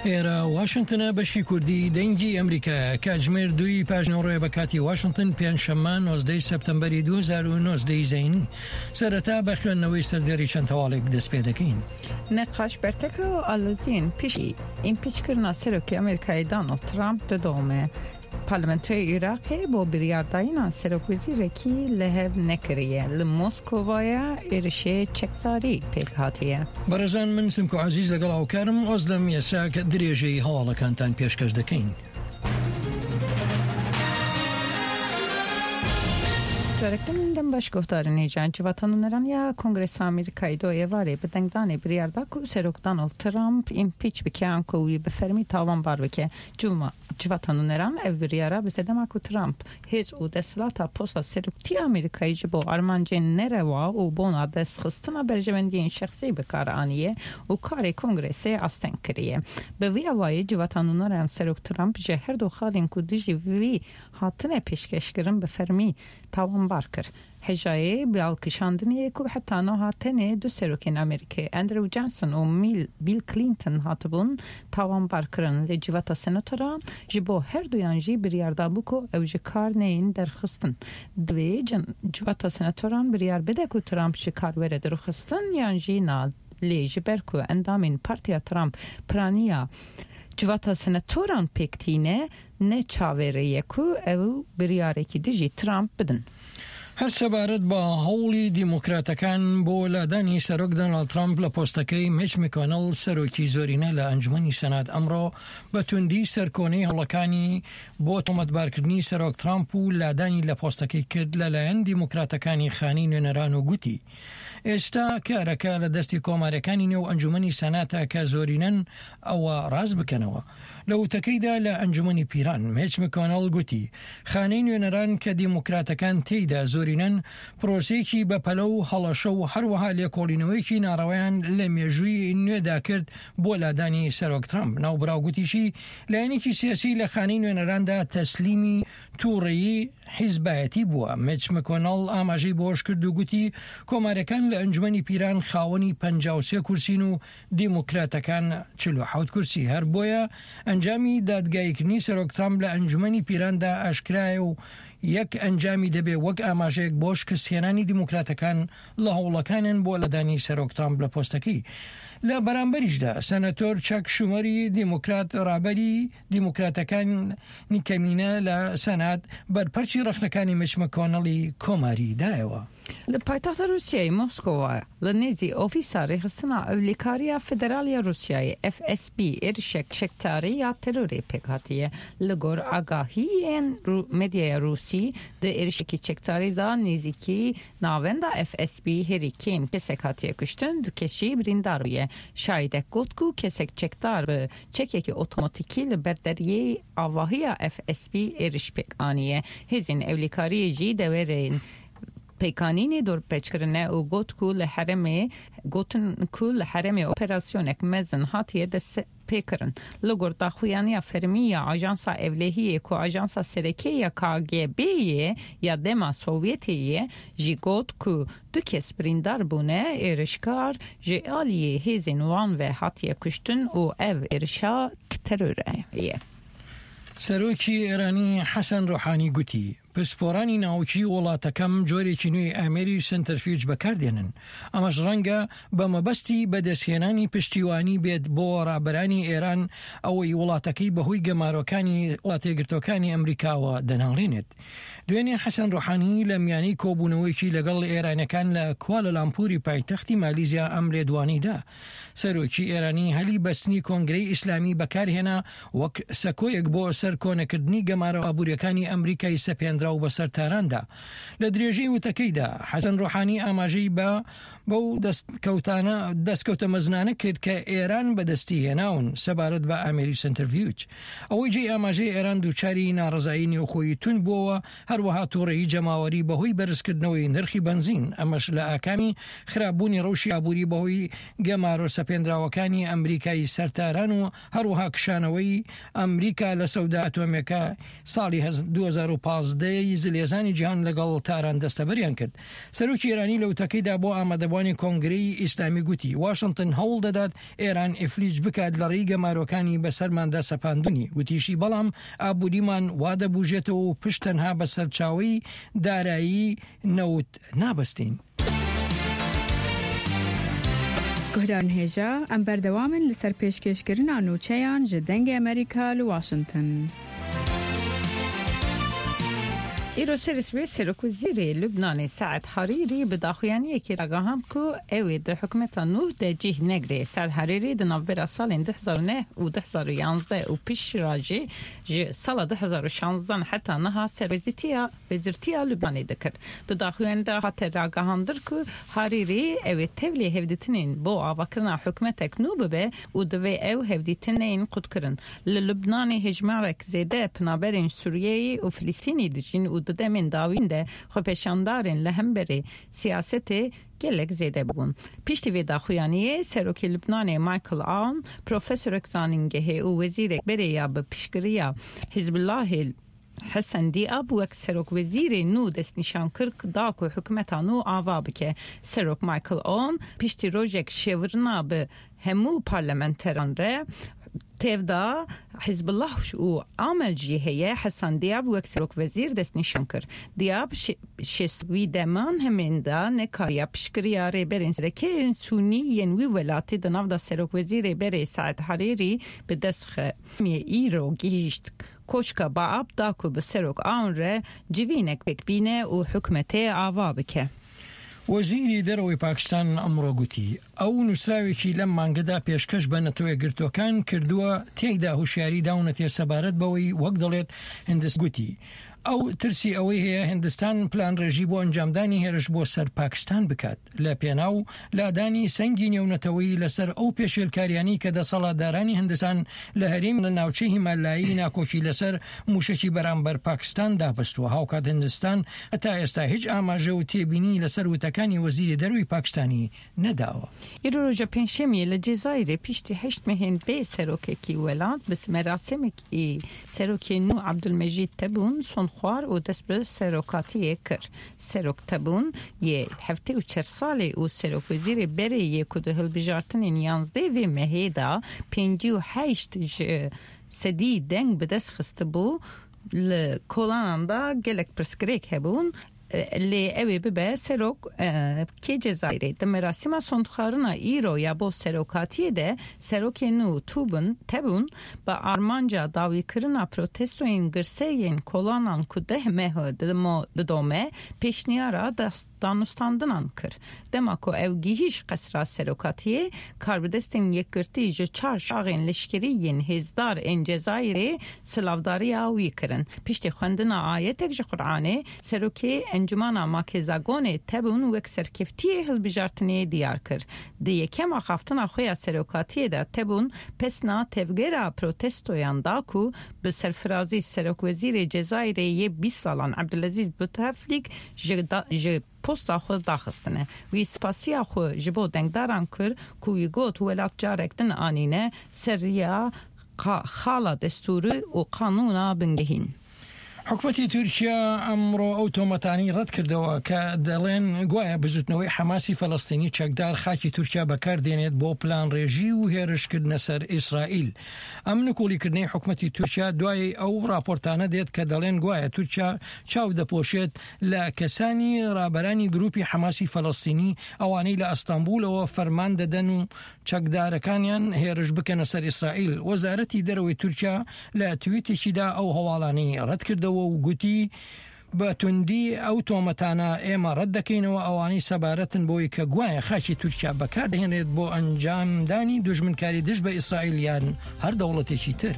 ئێرە واشنتنە بەشی کوردی دەنگی ئەمریکایە کاتژمێر دووی پاژنەوەڕۆیە بە کاتی واشنتن پێنجشەممە نۆزدەی سەپتەمبەری 2019 زەینی سەرەتا بە خوێندنەوەی سەردێڕی چەند هەواڵێک دەست پێ دەکەین. نقاش بەرتەکە و ئالۆزیên piştî împîçkirina Serokê Amerîkayê Donald Trump didome. Parlamentoya Iraqê bo biryardayîna serokwezîrekî li hev nekiriye. Li Moskovaya êrişê çekdarî pêk hatiye. بەڕێزان من سمکۆ عەزیز لەگەڵ هاوکارم ئۆزلەم یەساک درێژەی هەواڵەکانتان پێشکەش دەکەین. Carek din dem baş guhdarên hêja Civata Nûneran ya Kongresa Amerîkayê do êvarê bi dengdanê biryar da ku Serok Donald Trump împîç bike an ku wî bi fermî tawanbar bike. Cuma Civata Nûneran ev biryara bi sedema ku Trump hêz û desthilata posta Seroktiya Amerîkayê ji bo armancên nerewa û bona destxistina berjewendiyên şexsî bi kar aniye û karê Kongresê asteng kiriye. Bi vî awayî Civata Nûneran Serok Trump ji her du xalên ku dijî wî hatine pêşkeşkirin bi fermî tawanbar kir. Hejayê bi alkişandinê ye ku heta niha tenê du serokên Amerîkayê Andrew Johnson û Bill Clinton hatibûn tawanbarkirin lê Civata Senatoran ji bo her duyan jî biryar dabû ku ew ji kar neyên derxistin. Divê Civata Senatoran biryar bide ku Trump ji kar were derxistin yan jî na lê ji ber ku endamên Partiya Trump piraniya Civata Senatoran pêk tîne Ne çaverê ye ku ew biryarekî dijî Trump bidin. هەر سەبارەت بە هەوڵی دیموکراتەکان بۆ لادانی سەرۆک دۆناڵد ترەمپ لە پۆستەکەی، میچ مکۆنڵ سەرۆکی زۆرینە لە ئەنجومەنی سەنات ئەمڕۆ بە توندی سەرکۆنەی هەوڵەکانی بۆ تۆمەتبارکردنی سەرۆک ترەمپ و لادانی لە پۆستەکەی کرد لەلایەن دیموکراتەکانی خانەی نوێنەران و گوتی ئێستا کارەکە لە دەستی کۆماریەکانی نێو ئەنجومەنی سەناتە کە زۆرینەن ئەوە ڕاست بکەنەوە. لە وتەکەیدا لە ئەنجومەنی پیران، میچ مکۆنڵ گوتی، خانەی نوێنەران کە دیموکراتەکان تێیدا زۆرینەن، پرۆسەیەکی بەپەلە و هەڵەشە و هەروەها لێکۆڵینەوەیەکی ناڕەوایان لە مێژووی نوێدا کرد بۆ لادانی سەرۆک ترەمپ. ناوبراو گوتیشی، لایەنێکی سیاسی لە خانەی نوێنەراندا تەسلیمی تووڕەیی حیزبایەتی بووە. میچ مکۆنڵ ئاماژەی بەوەشکرد و گوتی، کۆمارییەکان لە ئەنجومەنی پیران خاوەنی 53 کورسین و دیموکراتەکان 47 کورسی، هەر بۆیە ئەنجامی دادگاییکردنی سەرۆک ترامپ لە ئەنجومەنی پیراندا ئاشکرایە و یەک ئەنجامی دەبێ وەک ئاماژەیەک بۆ شکستهێنانی دیموکراتەکان لە هەوڵەکانیان بۆ لادانی سەرۆک ترامپ لە پۆستەکەی. لە بەرامبەریشدا سەنەتۆر چەک شومەری دیموکرات ڕابەری دیموکراتەکانی کەمینە لە سەنات بەرپەرچی ڕەخنەکانی میچ مکۆنڵی کۆماری دایەوە. Li paytexta Rûsyayê Moskowa li nêzî Ofîsa Rêxistina Ewlekariya Federal ya Rûsyayê, FSB, êrişek çekdarî ya terorê pêk hatiye. Li gor agahiyên medyaya Rûsî di êrişekî çekdarî de nêzîkî navenda FSB herî kêm kesek hatiye kuştin, du kes jî birîndar bûye. Şahidek got ku kesek çekdar bi çekekî otomatîkî li ber deriyê avahiya FSB êriş pêk aniye. Hêzên ewlekariyê jî deverên pêkanînê dorpêç kirine û got ku li herêmê gotin ku li herêmê operasyonek mezin hatiye destpêkirin. Li gor daxuyaniya fermî ya Ajansa Ewlehiyê ku ajansa sereke ya KGB'yê ya dema Sovyetê ye jî got ku du kes birîndar bûne, êrişkar ji aliyê hêzên wan ve hatiye kuştin û ev êrişa terorê ye. سەرۆکی ئێرانی حەسەن ڕۆحانی گوتی، پسپۆرانی ناوکیی وڵاتەکەم جۆرێکی نوێی ئامێری سەنتەرفیوج بەکاردێنن، ئەمەش ڕەنگە بە مەبەستی بەدەستهێنانی پشتیوانی بێت بۆ ڕابەرانی ئێران ئەوەی وڵاتەکەی بەهۆی گەمارۆکانی وڵاتەیەکگرتووەکانی ئەمریکاوە دەناڵێنێت. دوێنێ حەسەن ڕۆحانی لە میانەی کۆبوونەوەیەکی لەگەڵ ئێرانیەکان لە کوالالامپوری پایتەختی مالیزیا ئەم لێدوانەی دا. سەرۆکی ئێرانی هەلی بەستنی کۆنگرەی ئیسلامی بەکارهێنا وەک سەکۆیەک بۆ سەرکۆنەکردنی گەمارۆ ئابووریەکانی ئەمریکای سەپێنراو بەسەر تاراندا. لە درێژەی وتەکەیدا حەسەن ڕۆحانی ئاماژەی بە بەو دەستکەوتانە دەستکەوتە مەزنانە کرد کە ئێران بەدەستی هێناون سەبارەت بە ئامێری سەنتەرڤیوج. ئەوەی جێی ئاماژەیە ئێران دووچاری ناڕەزایی نێوخۆیی توند بووەوە، هەروەها توڕەیی جەماوەری بەهۆی بەرزکردنەوەی نرخی بەنزین، ئەمەش لە ئاکامی خراپبوونی ڕەوشی ئابووری بەهۆی گەمارۆ سەپێنراوەکانی ئەمریکای سەر تاران و هەروەها کشانەوەی ئەمریکا لە سەودا ئەتۆمیەکە ساڵی 2015. کۆمەڵەی زلهێزانی جیهان لەگەڵ تاران دەستەبەریان کرد. سەرۆکی ئێرانی لە وتەکەیدا بۆ ئامادەبوانی کۆنگرەی ئیسلامی گوتی، واشنتن هەوڵ دەدات ئێران ئیفلیج بکات لە ڕێی گەمارۆکانی بەسەرماندا سەپاندنی، گوتیشی بەڵام ئابووریمان وا دەبوژێتەوە و پشت تەنها بە سەرچاوەی دارایی نەوت نابەستین. Guhdarên hêja, em berdewam in li ser pêşkêşkirina nûçeyan ji Dengê Amerîka li Washington. Îro serê sibê Serokwezîrê Lubnanê Saed Harîrî bi daxuyaniyekê ragihand ku ew ê di hikûmeta nû de cih negre. Saed Harîrî di navbera salên 2009 û 2011 û piştra jî ji sala 2016 heta niha serwezîtiya Wezîrtiya Lubnanê dikir. Di daxuyaniyê de hate ragihandin ku Harîrî ew ê tevlî hevdîtinên bo avakirina hikûmetek nû bibe û divê ew hevdîtin neyên qutkirin. Li Lubnanê hejmarek zêde penaberên Sûriyeyî û Filistînî dijîn û di demên dawîn de xwepêşandarên li hemberê siyasetê gelek zêde bûn. Piştî vê daxuyaniyê Serokê Lubnanê Michael Aoun, profesorek zanîngehê û wezîrek berê ya bi piştgiriya Hizbullahê Hesen Dîab wek serokwezîrê nû destnîşan kir da ku hikûmeta nû ava bike. Serok Michael Aoun piştî rojek şêwirina bi hemû parlamenteran re tevda Hizbullah û Amel jî heye Hesen Dîab wek serokwezîr destnîşan kir. Dîab şêst wî deman hemên de nekariya piştgiriya rêberên sereke yên Sûnî yên wî welatî di nav de serokwezîrê berê Saed Harîrî bi dest xe. Îro gihîşt Koşka Baab da ku bi Serok Aoun re civînek pêk bîne û hikûmetê ava bike. وەزیری دەرەوەی پاکستان ئەمڕۆ گوتی، ئەو نووسراوێکی لەم مانگەدا پێشکەش بە نەتەوەیەکگرتووەکان کردووە تێیدا هوشیاری داونەتێ سەبارەت بەوەی وەک دەڵێت هندست گوتی، ئەو ترسی ئەوەی هەیە هندستان پلانڕێژی بۆ ئەنجامدانی هێرش بۆ سەر پاکستان بکات. لە پێناو لادانی سەنگی نێونەتەوەیی لەسەر ئەو پێشێلکاریانەی کە دەسەڵاتدارانی هندستان لە هەرێمی لە ناوچەی هیمالایی ناکۆکی لەسەر موشەکی بەرامبەر پاکستان دابەستووە. هاوکات هندستان هەتا ئێستا هیچ ئاماژە و تێبینی لەسەر وتەکانی وەزیری دەرەوەی پاکستانی نەداوە. ئیرۆ رۆژە پێنجشەمیە لە جەزایرێ پیشتی هەشت مehên bê serokekî welat bi merasimekî serokê nû Abdulmecîd Tebûn son xwar û dest bi serokatiyê kir. Serok Tebûn yê 74 salê û serokwezîrê berê yê ku di hilbijartinên yanzdeh vê mehê de 58 ji sedî deng bi dest xistibû, li kolanan de gelek pirsgirêk hebûn lê ew ê bibe serok kê Cezayirê. Di merasîma sondxwarina îro ya bo serokatiyê de serokê nû Tubun Tebûn bi armanca dawîkirina protestoyên girseyên kolanan ku deh meh didome, pêşniyara danûstandinan kir. Dema ku ew gihîşt qesra serokatiyê, karbidestên yekgirtî ji çar şaxên leşkerî yên hêzdar ên Cezayirê silavdariya wî kirin. Piştî xwendina ayetek ji Quranê, Serokê Encumana Makezagonê Tebûn wek serkeftiyê hilbijartinê diyar kir. Di yekem axaftina xwe ya serokatiyê de Tebûn pesna tevgera protestoyan da ku bi serfirazî Serokwezîrê Cezayirê yê 20 salan Ebdulezîz Buteflîk ji ji posta xwe daxistine. Wî spasiya xwe ji bo dengdaran kir ku wî got welat carek din anîne ser riya xala destûrî û qanûna bingehîn. حکومەتی تورکیا ئەمڕۆ ئەو تۆمەتانەی ڕەتکردەوە کە دەڵێن گوایە بزوتنەوەی حەماسی فەلەستینی چەکدار خاکی تورکیا بەکاردێنێت بۆ پلانڕێژی و هێرشکردنە سەر ئیسرائیل. ئەم نکوڵیکردنەی حکومەتی تورکیا دوای ئەو ڕاپۆرتانە دێت کە دەڵێن گوایە تورکیا چاو دەپۆشێت لە کەسانی ڕابەرانی گروپی حەماسی فەلەستینی ئەوانەی لە ئەستەنبوڵەوە فەرمان دەدەن و چەکدارەکانیان هێرش بکەنە سەر ئیسرائیل. وەزارەتی دەرەوەی تورکیا لە تویتێکیدا ئەو هەواڵانەی ڕەتکردەوە و گوتی، بە توندی ئەو تۆمەتانە ئێمە ڕەت دەکەینەوە ئەوانەی سەبارەتن بەوەی کە گوایە خاکی تورکیا بەکاردەهێنرێت بۆ ئەنجامدانی دوژمنکاری دژ بە ئیسرائیل یان هەر دەوڵەتێکی تر.